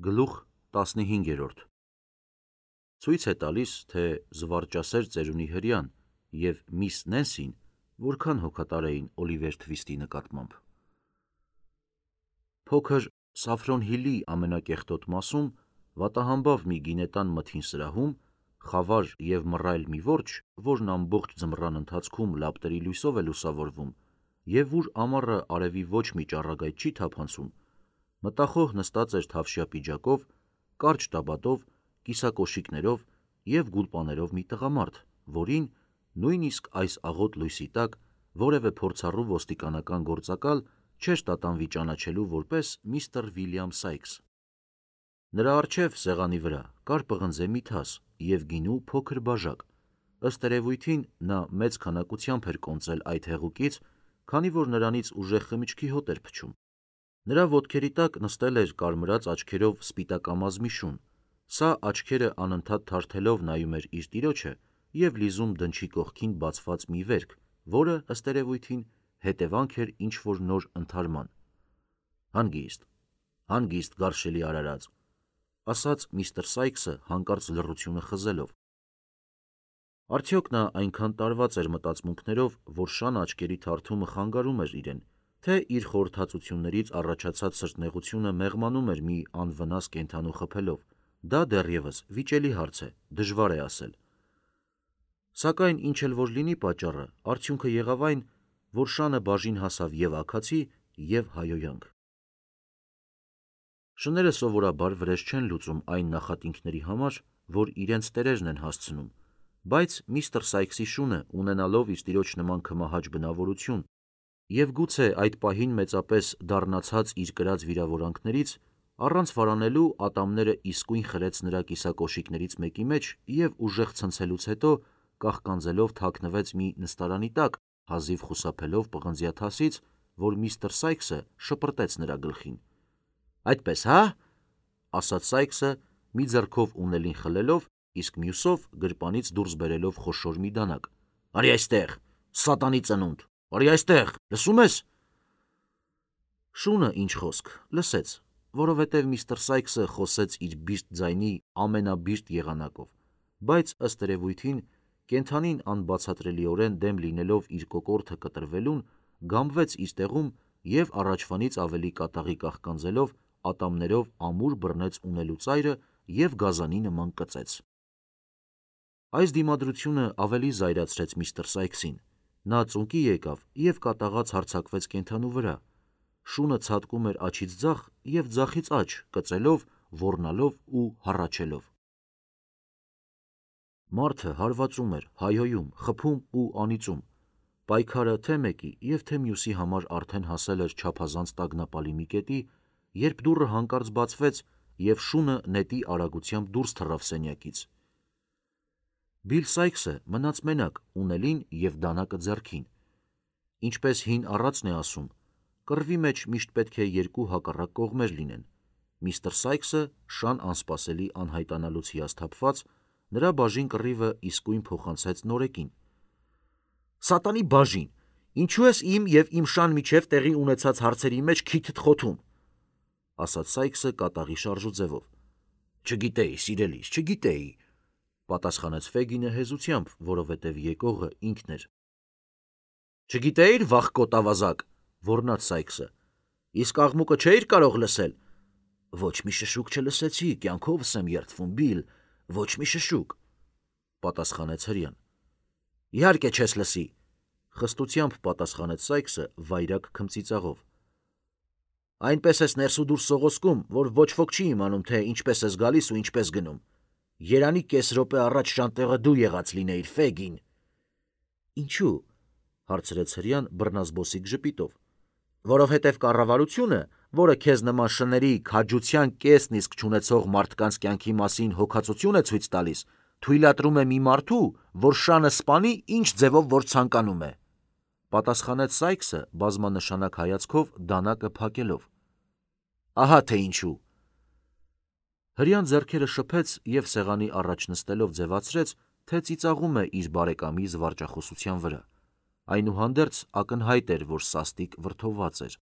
Գլուխ 15 Ցույց է տալիս, թե զվարճասեր ծերունի հրեան և միս Նենսին որքան հոգատար էին Օլիվեր Թվիստի նկատմամբ։ Փոքր Սաֆրոն Հիլի ամենակեղտոտ մասում վատահամբավ մի գինետան մթին սրահում խավար և մռայլ մի որջը, որն ամբողջ ձմռան ընթացքում լապտերի լույսով է լուսավորվում և ուր ամառը արևի ոչ մի ճառագայթ չի թափանցում, մտախոհ նստած էր թավշյա պիջակով, կարճ տաբատով, կիսակոշիկներով և գուլպաներով մի տղամարդ, որին, նույնիսկ այս աղոտ լույսի տակ, որևէ փորձառու ոստիկանական գործակալ չէր տատանվի ճանաչելու որպես միստր Վիլյամ Սայքս։ Նրա առջև սեղանի վրա կար պղնձե մի թաս և գինու փոքր բաժակ, ըստ երևույթին նա մեծ քանակությամբ էր կոնծել այդ հեղուկից, քանի որ նրանից ուժեղ խմիչքի հոտ էր փչում։ Նրա ոտքերի տակ նստել էր կարմրած աչքերով սպիտակամազ մի շուն, սա աչքերը անընդհատ թարթելով նայում էր իր տիրոջը և լիզում դնչի կողքին բացված մի վերք, որը, ըստ երևույթին, հետևանք էր ինչ-որ նոր ընդհարման։ Հանգիստ գարշելի արարած, ասաց միստր Սայքսը հանկարծ լռությունը խզելով։ Արդյոք նա այնքան տարված էր մտածմունքներով, որ շան աչքերի թարթումը խանգարում էր իրեն, թե իր խորհրդածություններից առաջացած սրտնեղությունը մեղմանում էր մի անվնաս կենդանու խփելով, դա դեռևս վիճելի հարց է, դժվար է ասել։ Սակայն ինչ էլ որ լինի պատճառը, արդյունքը եղավ այն, որ շանը բաժին հասավ և աքացի, և հայոյանք։ Շները սովորաբար վրեժ չեն լուծում այն նախատինքների համար, որ իրենց տերերն են հասցնում, բայց միստր Սայքսի շունը, ունենալով իր տիրոջ նման քմահաճ բնավորություն և գուցե այդ պահին մեծապես դառնացած իր կրած վիրավորանքներից, առանց վարանելու ատամները իսկույն խրեց նրա կիսակոշիկներից մեկի մեջ և ուժեղ ցնցելուց հետո կաղկանձելով թաքնվեց մի նստարանի տակ, հազիվ խուսափելով պղնձյա թասից, որ միստր Սայքսը շպրտեց նրա գլխին։ Այդպես, հա՞, ասաց Սայքսը, մի ձեռքով ունելին խլելով, իսկ մյուսով գրպանից դուրս բերելով խոշոր մի դանակ։ Արի այստեղ, սատանի ծնունդ, արի այստեղ, լսում ես։ Շունը, ինչ խոսք, լսեց, որովհետև միստր Սայքսը խոսեց իր բիրտ ձայնի ամենաբիրտ եղանակով, բայց ըստ երևույթին կենդանին անբացատրելիորեն դեմ լինելով իր կոկորդը կտրվելուն, գամվեց իր տեղում և առաջվանից ավելի կատաղի կաղկանձելով ատամներով ամուր բռնեց ունելու ծայրը և գազանի նման կծեց։ Այս դիմադրությունը ավելի զայրացրեց միստր Սայքսին, նա ծունկի եկավ և կատաղած հարձակվեց կենդանու վրա, շունը ցատկում էր աջից ձախ և ձախից աջ, կծելով, ոռնալով ու հառաչելով։ Մարդը հարվածում էր, հայհոյում, խփում ու անիծում, պայքարը թե մեկի և թե մյուսի համար արդեն հասել էր չափազանց տագնապալի մի կետի, երբ դուռը հանկարծ բացվեց և շունը նետի արագությամբ դուրս թռավ սենյակից։ Բիլ Սայքսը մնաց մենակ, ունելին և դանակը ձեռքին։ Ինչպես հին առածն է ասում, կռվի մեջ միշտ պետք է երկու հակառակ կողմեր լինեն։ Միստր Սայքսը շան անսպասելի անհայտանալուց հիասթափված, նրա բաժին կռիվը իսկույն փոխանցեց նորեկին։ Սատանի բաժին, ինչու ես իմ և իմ շան միջև տեղի ունեցած հարցերի մեջ քիթդ խոթում, ասաց Սայքսը կատաղի շարժուձևով։ Չգիտեի, սիրելիս, չգիտեի, պատասխանեց Ֆեգինը հեզությամբ, որովհետև եկողը ինքն էր։ Չգիտեիր, վախկոտ ավազակ, ոռնաց Սայքսը, իսկ աղմուկը չէիր կարող լսել։ Ոչ մի շշուկ չլսեցի, կյանքովս եմ երդվում, Բիլ, ոչ մի շշուկ, պատասխանեց հրեան։ Իհարկե չես լսի, խստությամբ պատասխանեց Սայքսը վայրագ քմծիծաղով։ Այնպես ես ներս ու դուրս սողոսկում, որ ոչ ոք չի իմանում, թե ինչպես ես գալիս ու ինչպես գնում։ Երանի կես րոպե առաջ շանտեղը դու եղած լինեիր, Ֆեգին։ Ինչու՞, հարցրեց հրեան բռնազբոսիկ ժպիտով։ Որովհետև կառավարությունը, որը քեզ նման շների քաջության կեսն իսկ չունեցող մարդկանց կյանքի մասին հոգածություն է ցույց տալիս, թույլատրում է մի մարդու, որ շանը սպանի ինչ ձևով որ ցանկանում է, պատասխանեց Սայքսը բազմանշանակ հայացքով դանակը փակելով։ Ահա թե ինչու։ Հրեան ձեռքերը շփեց և սեղանի առաջ նստելով ձևացրեց, թե ծիծաղում է իր բարեկամի զվարճախոսության վրա։ Այնուհանդերձ ակնհայտ էր, որ սաստիկ վրդովված էր։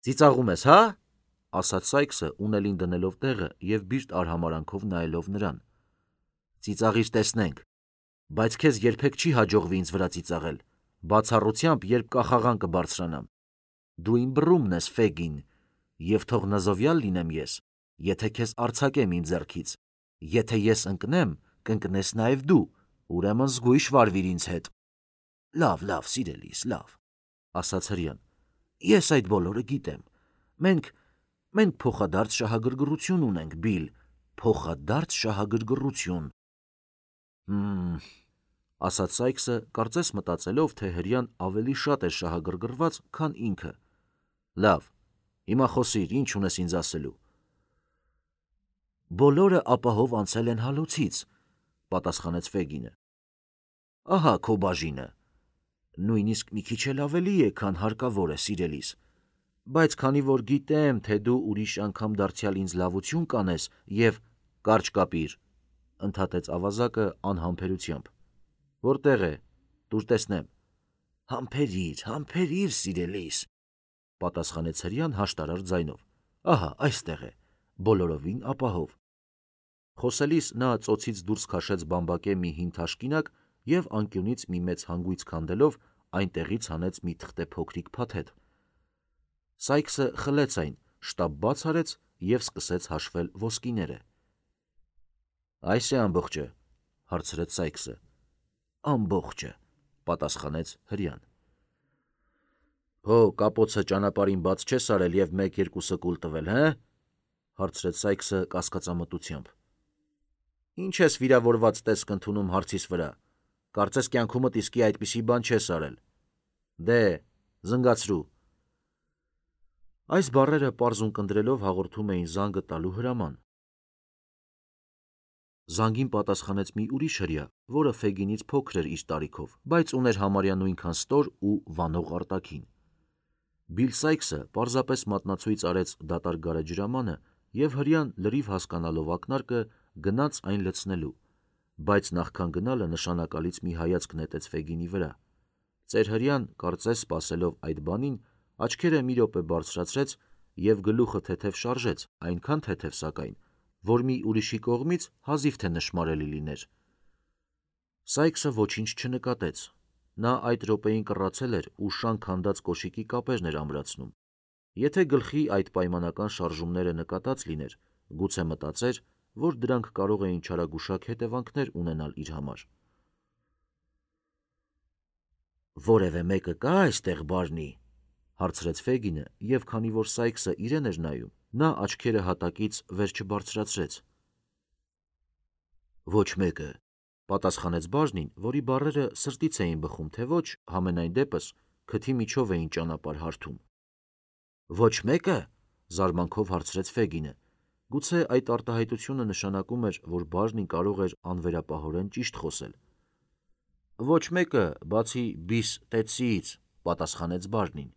Ծիծաղում ես, հա՞, ասաց Սայքսը ունելին դնելով տեղը և բիրտ արհամարանքով նայելով նրան։ Ծիծաղիր տեսնենք, բայց քեզ երբեք չի հաջողվի ինձ վրա ծիծաղել, բացառությամբ երբ կախաղան կբարձրանամ։ Դու իմ բռումն ես, Ֆեգին, և թող նզովյալ լինեմ ես, եթե քեզ արձակեմ իմ ձեռքից, եթե ես ընկնեմ, կընկնես նաև դու, ուրեմն զգույշ վարվիր ինձ հետ։ Լավ, սիրելիս, լավ, ասաց հրեան, ես այդ բոլորը գիտեմ, մենք փոխադարձ շահագրգռություն ունենք, Բիլ, փոխադարձ շահագրգռություն։ Ասաց Սայքսը, կարծես մտածելով, թե հրեան ավելի շատ էր շահագրգռված, քան ինքը։ Լավ, հիմա խոսիր, ինչ ունես ինձ ասելու։ Բոլորը ապահով անցել են հալոցից, պատասխանեց Ֆեգինը։ Ահա քո բաժինը։ Նույնիսկ մի քիչ էլ ավելի է, քան հարկավոր է, սիրելիս, բայց քանի որ գիտեմ, թե դու ուրիշ անգամ դարձյալ ինձ լավություն կանես և կարճ կապիր, ընդհատեց ավազակը անհամբերությամբ։ Որտեղ է, տուր տեսնեմ։ Համբերիր, սիրելիս, պատասխանեց հրեան հաշտարար ձայնով։ Ահա, այստեղ է, բոլորովին ապահով։ Խոսելիս նա ծոցից դուրս քաշեց բամբակե մի հին թաշկինակ և անկյունից մի մեծ հանգույց քանդելով այնտեղից հանեց մի թղթե փոքրիկ փաթեթ։ Սայքսը խլեց այն, շտապ բաց արեց և սկսեց հաշվել ոսկիները։ Այս է ամբողջը, հարցրեց Սայքսը։ Ամբողջը, պատասխանեց հրեան։ Հո կապոցը ճանապարհին բաց չես արել և 1-2 կուլ տվել, հը? Հարցրեց Սայքսը կասկածամտությամբ։ Ինչ ես վիրավորված տեսք ընդունում հարցիս վրա, կարծես կյանքումդ իսկի այդպիսի բան չես արել։ Դե, զնգացրու։ Այս բառերը պարզ ունկնդրելով հաղորդում էին զանգը տալու հրաման։ Զանգին պատասխանեց մի ուրիշ հրեա, որը Ֆեգինից փոքր էր իր տարիքով, բայց ուներ համարյա նույնքան ստոր ու վանող արտաքին։ Բիլ Սայքսը պարզապես մատնացույց արեց դատարկ գարեջրամանը և հրեան լրիվ հասկանալով ակնարկը գնաց այն լցնելու, բայց նախքան գնալը նշանակալից մի հայացք նետեց Ֆեգինի վրա։ Ծեր հրեան, կարծես սպասելով այդ բանին, աչքերը մի րոպե բարձրացրեց և գլուխը թեթև շարժեց, այնքան թեթև սակայն, որ մի ուրիշի կողմից հազիվ թե նշմարելի լիներ։ Սայքսը ոչինչ չնկատեց։ Նա այդ րոպեին կռացել էր ու շանք հանդած կոշիկի կապերն էր ամրացնում։ Եթե գլխի այդ պայմանական շարժումները նկատած լիներ, գուցե մտածեր, որ դրանք կարող էին չարագուշակ հետևանքներ ունենալ իր համար։ Որևէ մեկը կա այստեղ, Բարնի, հարցրեց Ֆեգինը, և քանի որ Սայքսը իրեն էր նայում, նա աչքերը հատակից վեր չբարձրացրեց։ Ոչ մեկը, պատասխանեց բաժնին, որի բառերը սրտից էին բխում, թե ոչ, համենայն դեպս, քթի միջով էին ճանապարհ հարթում։ Ոչ մեկը, զարմանքով հարցրեց Ֆեգինը։ Գուցե այդ արտահայտությունը նշանակում էր, որ բաժնին կարող էր անվերապահորեն ճիշտ խոսել։ Ոչ մեկը, բացի Բիս Տետսիից, պատասխանեց բաժնին։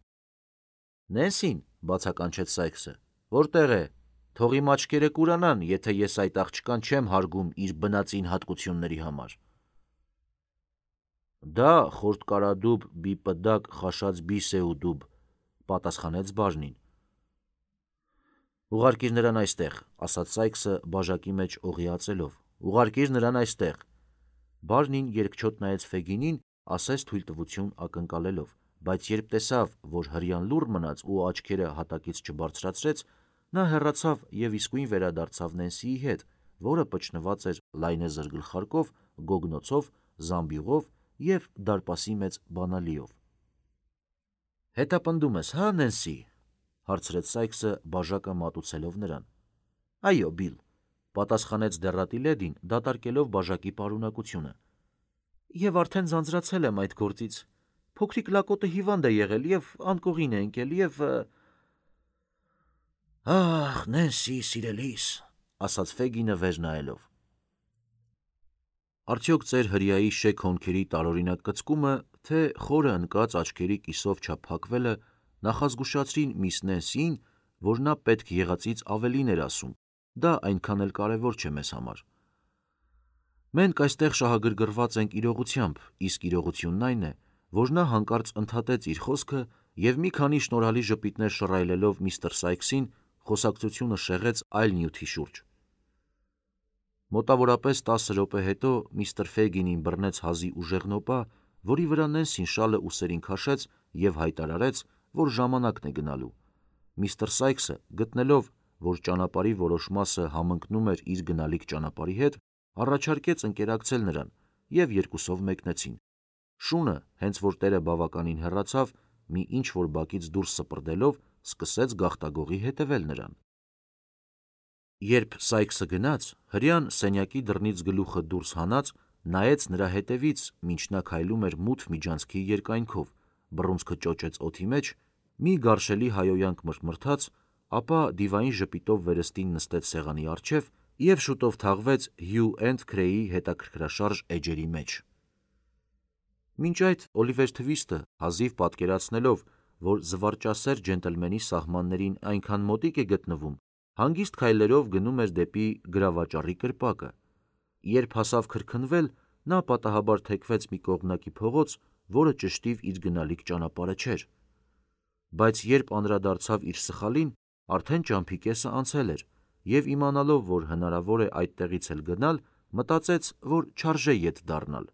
Նենսին, բացականչեց Սայքսը, որտեղ է։ Թող իմ աչքերը կուրանան, եթե ես այդ աղջկան չեմ հարգում իր բնածին հատկությունների համար։ Դա խորտկարադուբ բիպդակ խաշած բիս է ու դուբ, պատասխանեց բաժնին։ Ուղարկիր նրան այստեղ, ասաց Սայքսը բաժակի մեջ օղիածելով։ Ուղարկիր նրան այստեղ։ Բաժնին երկչոտ նայեց Ֆեգինին, ասես թույլտվություն ակնկալելով, բայց երբ տեսավ, որ հրեան լուռ մնաց ու աչքերը հատակից չբարձրացրեց, նա հեռացավ և իսկույն վերադարձավ Նենսիի հետ, որը պճնված էր լայնեզր գլխարկով, գոգնոցով, զամբյուղով և դարպասի մեծ բանալիով։ Հետապնդում ես, հա, Նենսի, հարցրեց Սայքսը բաժակը մատուցելով նրան։ Այո, Բիլ, պատասխանեց դեռատի լեդին, դատարկելով բաժակի պարունակությունը։ Եվ արդեն ձանձրացել եմ այդ գործից։ Փոքրիկ լակոտը հիվանդ է եղել և անկողին է ընկել և… Ահ, Նենսի, սիրելիս, ասաց Ֆեգինը վեր նայելով։ Արդյոք ծեր հրեայի շեք հոնքերի տարօրինակ կծկումը, թե խորը ընկած աչքերի կիսով չափակվելը նախազգուշացրին միս Նենսիին, որ նա պետք եղածից ավելին էր ասում, դա այնքան էլ կարևոր չէ մեզ համար։ Մենք այստեղ շահագրգռված ենք իրողությամբ, իսկ իրողությունն այն է, որ նա հանկարծ ընդհատեց իր խոսքը և մի քանի շնորհալի ժպիտներ շռայլելով միստր Սայքսին, խոսակցությունը շեղեց այլ նյութի շուրջ։ Մոտավորապես 10 րոպե հետո միստր Ֆեգինին բռնեց հազի ուժեղ նոպա, որի վրա Նենսին շալը ուսերին քաշեց և հայտարարեց, որ ժամանակն է գնալու։ Միստր Սայքսը, գտնելով, որ ճանապարհի որոշ մասը համընկնում էր իր գնալիք ճանապարհի հետ, առաջարկեց ընկերակցել նրան, և երկուսով մեկնեցին։ Շունը, հենց որ տերը բավականին հեռացավ, մի ինչ-որ բակից դուրս սպրդելով, սկսեց գաղտագողի հետևել նրան։ Երբ Սայքսը գնաց, հրեան սենյակի դռնից գլուխը դուրս հանած, նայեց նրա հետևից, մինչ նա քայլում էր մութ միջանցքի երկայնքով, բռունցքը ճոճեց օդի մեջ, մի գարշելի հայոյանք մրթմրթաց, ապա դիվային ժպիտով վերստին նստեց սեղանի առջև և շուտով թաղվեց Հյու էնդ Քրեյի հետաքրքրաշարժ էջերի մեջ։ Մինչ այդ Օլիվեր Թվիստը, հազիվ պատկերացնելով, որ զվարճասեր ջենտլմենի սահմաններին այնքան մոտիկ է գտնվում, հանգիստ քայլերով գնում էր դեպի գրավաճառի կրպակը։ Երբ հասավ քրքնվել, նա պատահաբար թեքվեց մի կողմնակի փողոց, որը ճշտիվ իր գնալիք ճանապարհը չէր։ Բայց երբ անդրադարձավ իր սխալին, արդեն ճամփի կեսը անցել էր, և իմանալով, որ հնարավոր է այդտեղից էլ գնալ, մտածեց, որ չարժե ետ դառնալ։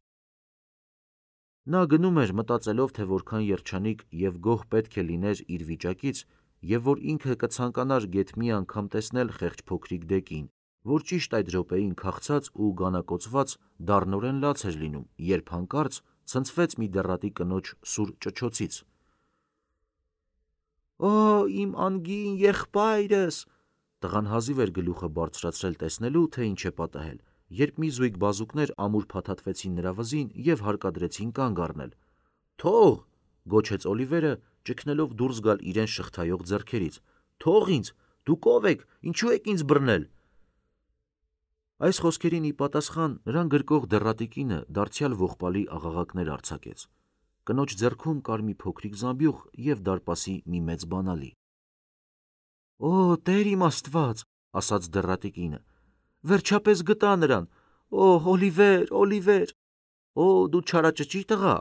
Նա գնում էր մտածելով, թե որքան երջանիկ և գոհ պետք է լիներ իր վիճակից, և որ ինքը կցանկանար գեթ մի անգամ տեսնել խեղճ փոքրիկ Դեկին, որ ճիշտ այդ րոպեին քաղցած ու գանակոծված դառնորեն լաց էր լինում, երբ հանկարծ ցնցվեց մի դեռատի կնոջ սուր ճչոցից. «Օ, իմ անգին եղբայրս»։ Տղան հազիվ էր գլուխը բարձրացրել տեսնելու, թե ինչ է պատահել, երբ մի զույգ բազուկներ ամուր փաթաթվեցին նրա վզին և հարկադրեցին կանգ առնել։ «Թող», գոչեց Օլիվերը, ճգնելով դուրս գալ իրեն շղթայող ձեռքերից։ «Թող ինձ, դուք ով եք, ինչու եք ինձ բռնել»։ Այս խոսքերին ի պատասխան նրան գրկող դեռատի կինը դարձյալ ողբալի աղաղակներ արձակեց։ Կնոջ ձեռքում կար մի փոքրիկ զամբյուղ և դարպասի մի մեծ բանալի։ «Օ, Տեր իմ Աստված», ասաց դեռատի կինը, «վերջապես գտա նրան։ Օ, Օլիվեր, Օլիվեր, օ, դու չարաճճի տղա,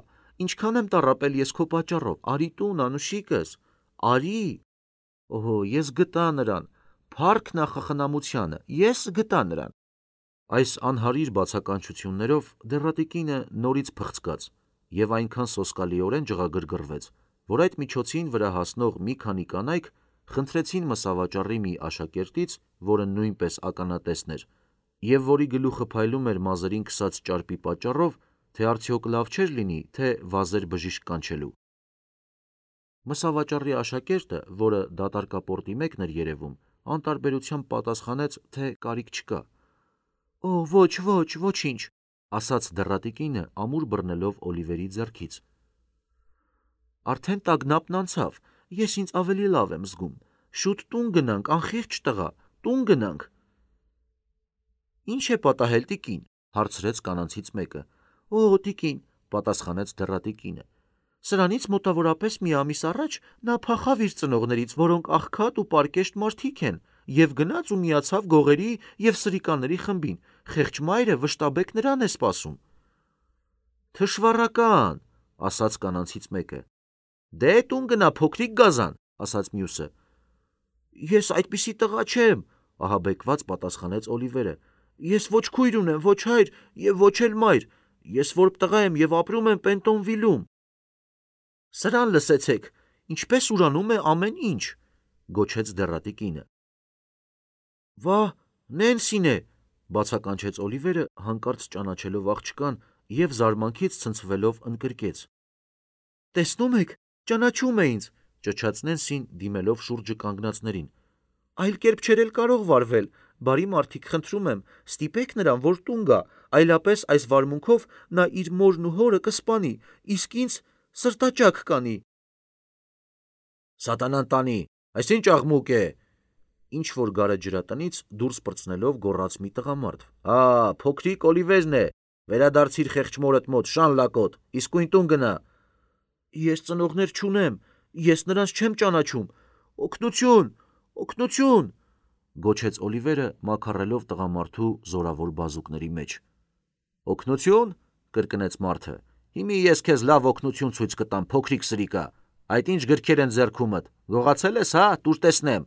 ինչքան եմ տառապել ես քո պատճառով, արի տուն, անուշիկս, արի։ Օհո, ես գտա նրան, փառք նախախնամությանը, ես գտա նրան»։ Այս անհարիր բացականչություններով դեռատի կինը նորից փխցկաց և այնքան սոսկալիորեն ջղագրգռվեց, որ այդ միջոցին վրա հասնող մի քանի կանայք խնդրեցին մսավաճառի մի աշակերտից, որը նույնպես ականատեսն էր, և որի գլուխը փայլում էր մազերին քսած ճարպի պատճառով, թե արդյոք լավ չէր լինի, թե վազեր բժիշկ կանչելու։ Մսավաճառի աշակերտը, որը դատարկապորտի մեկն էր երևում, անտարբերությամբ պատասխանեց, թե կարիք չկա։ «Օ, ոչ, ոչ, ոչինչ», ասաց դեռատի կինը, ամուր բռնելով Օլիվերի ձեռքից։ «Արդեն տագնապն անցավ, ես ինձ ավելի լավ եմ զգում։ Շուտ տուն գնանք, անխիղճ տղա, տուն գնանք»։ «Ինչ է պատահել, տիկին», հարցրեց կանանցից մեկը։ «Օ, տիկին», պատասխանեց դեռատի կինը, «սրանից մոտավորապես մի ամիս առաջ նա փախավ իր ծնողներից, որոնք աղքատ ու պարկեշտ մարդիկ են, և գնաց ու միացավ գողերի և սրիկաների խմբին։ Խեղճ մայրը վշտաբեկ նրան է սպասում»։ «Թշվառական», ասաց կանանցից մեկը։ «Դե տուն գնա, փոքրիկ գազան», ասաց մյուսը։ «Ես այդպիսի տղա չեմ», ահաբեկված պատասխանեց Օլիվերը։ «Ես ոչ քույր ունեմ, ոչ հայր և ոչ էլ մայր։ Ես որբ տղա եմ և ապրում եմ Պենտոնվիլում»։ «Սրան լսեցեք, ինչպես ուրանում է ամեն ինչ», գոչեց դեռատի կինը։ «Վա, Նենսին է», բացականչեց Օլիվերը, հանկարծ ճանաչելով աղջկան և զարմանքից ցնցվելով ընկրկեց։ «Տեսնում եք, ճանաչում է ինձ», ճչաց Նենսին, դիմելով շուրջը կանգնածներին։ «Այլ կերպ չէր էլ կարող վարվել, բարի մարդիկ, խնդրում եմ, ստիպեք նրան, որ տուն գա, այլապես այս վարմունքով նա իր մորն ու հորը կսպանի, իսկ ինձ սրտաճաք կանի»։ «Սատանան տանի, այս ինչ աղմուկ է», ինչ-որ գարեջրատնից դուրս պրծնելով գոռաց մի տղամարդ։ «Ա, փոքրիկ Օլիվերն է, վերադարձիր խեղճ մորդ մոտ, շան լակոտ, իսկույն տուն գնա»։ «Ես ծնողներ չունեմ, ես նրանց չեմ ճանաչում, օգնություն, օգնություն», գոչեց Օլիվերը, մաքարելով տղամարդու զորավոր բազուկների մեջ։ «Օգնություն», կրկնեց մարդը, «հիմի ես քեզ լավ օգնություն ցույց կտամ, փոքրիկ սրիկա, այդ ինչ գրքեր են ձեռքումդ, գողացել ես, հա, տուր տեսնեմ»։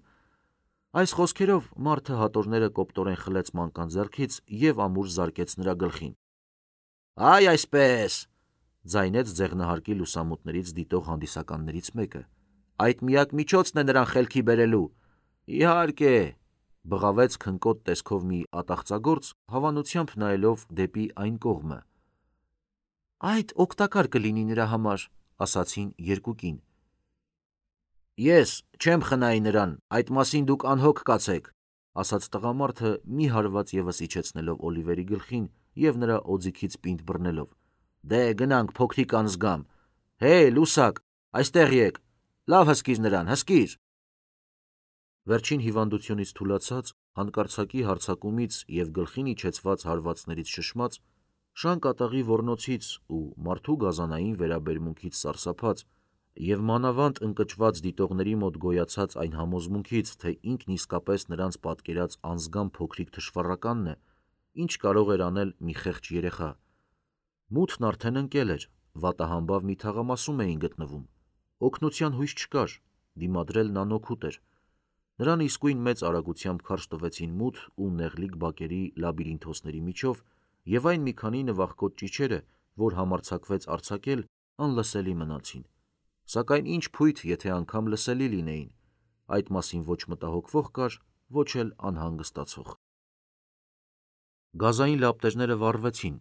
Այս խոսքերով մարդը հատորները կոպտորեն խլեց մանկան ձեռքից և ամուր զարկեց նրա գլխին։ «Այ այսպես», ձայնեց ձեղնահարկի լուսամուտներից դիտող հանդիսականներից մեկը, «այդ միակ միջոցն է նրան խելքի բերելու»։ «Իհարկե», բղավեց քնկոտ տեսքով մի ատաղծագործ, հավանությամբ նայելով դեպի այն կողմը։ «Այդ օգտակար կլինի նրա համար», ասացին երկու կին։ «Ես չեմ խնայի նրան, այդ մասին դուք անհոգ կացեք», ասաց տղամարդը մի հարված ևս իջեցնելով Օլիվերի գլխին և նրա օձիքից պինդ բռնելով։ «Դե գնանք, փոքրիկ անզգամ, հե՛, լուսակ, այստեղ եկ, լավ հսկիր նրան, հսկիր»։ Վերջին հիվանդությունից թուլացած, հանկարծակի հարձակումից և գլխին իջեցված հարվածներից շշմած, շան կատաղի ոռնոցից ու մարդու գազանային վերաբերմունքից սարսափած և մանավանդ ընկճված դիտողների մոտ գոյացած այն համոզմունքից, թե ինքն իսկապես նրանց պատկերած անզգամ փոքրիկ թշվառականն է, ինչ կարող էր անել մի խեղճ երեխա։ Մութն արդեն ընկել էր, վատահամբավ մի թաղամասում էին գտնվում, օգնության հույս չկար, դիմադրելն անօգուտ էր։ Նրան իսկույն մեծ արագությամբ քարշ տվեցին մութ ու նեղլիկ բակերի լաբիրինթոսների միջով, և այն մի քանի նվախկոտ ճիչերը, որ համարձակվեց արձակել, անլսելի մնացին։ Սակայն ինչ փույթ, եթե անգամ լսելի լինեին, այդ մասին ոչ մտահոգվող կար, ոչ էլ անհանգստացող։ Գազային լապտերները վառվեցին։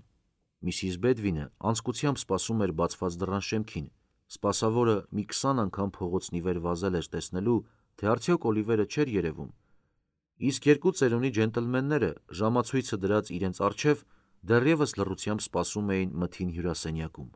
Միսիս Բեդվինը անձկությամբ սպասում էր բացված դռան շեմքին, սպասավորը մի 20 անգամ փողոցն ի վեր վազել էր տեսնելու, թե արդյոք Օլիվերը չէր երևում, իսկ երկու ծերունի ջենտլմենները, ժամացույցը դրած իրենց առջև, դեռևս լռությամբ սպասում էին մթին հյուրասենյակում։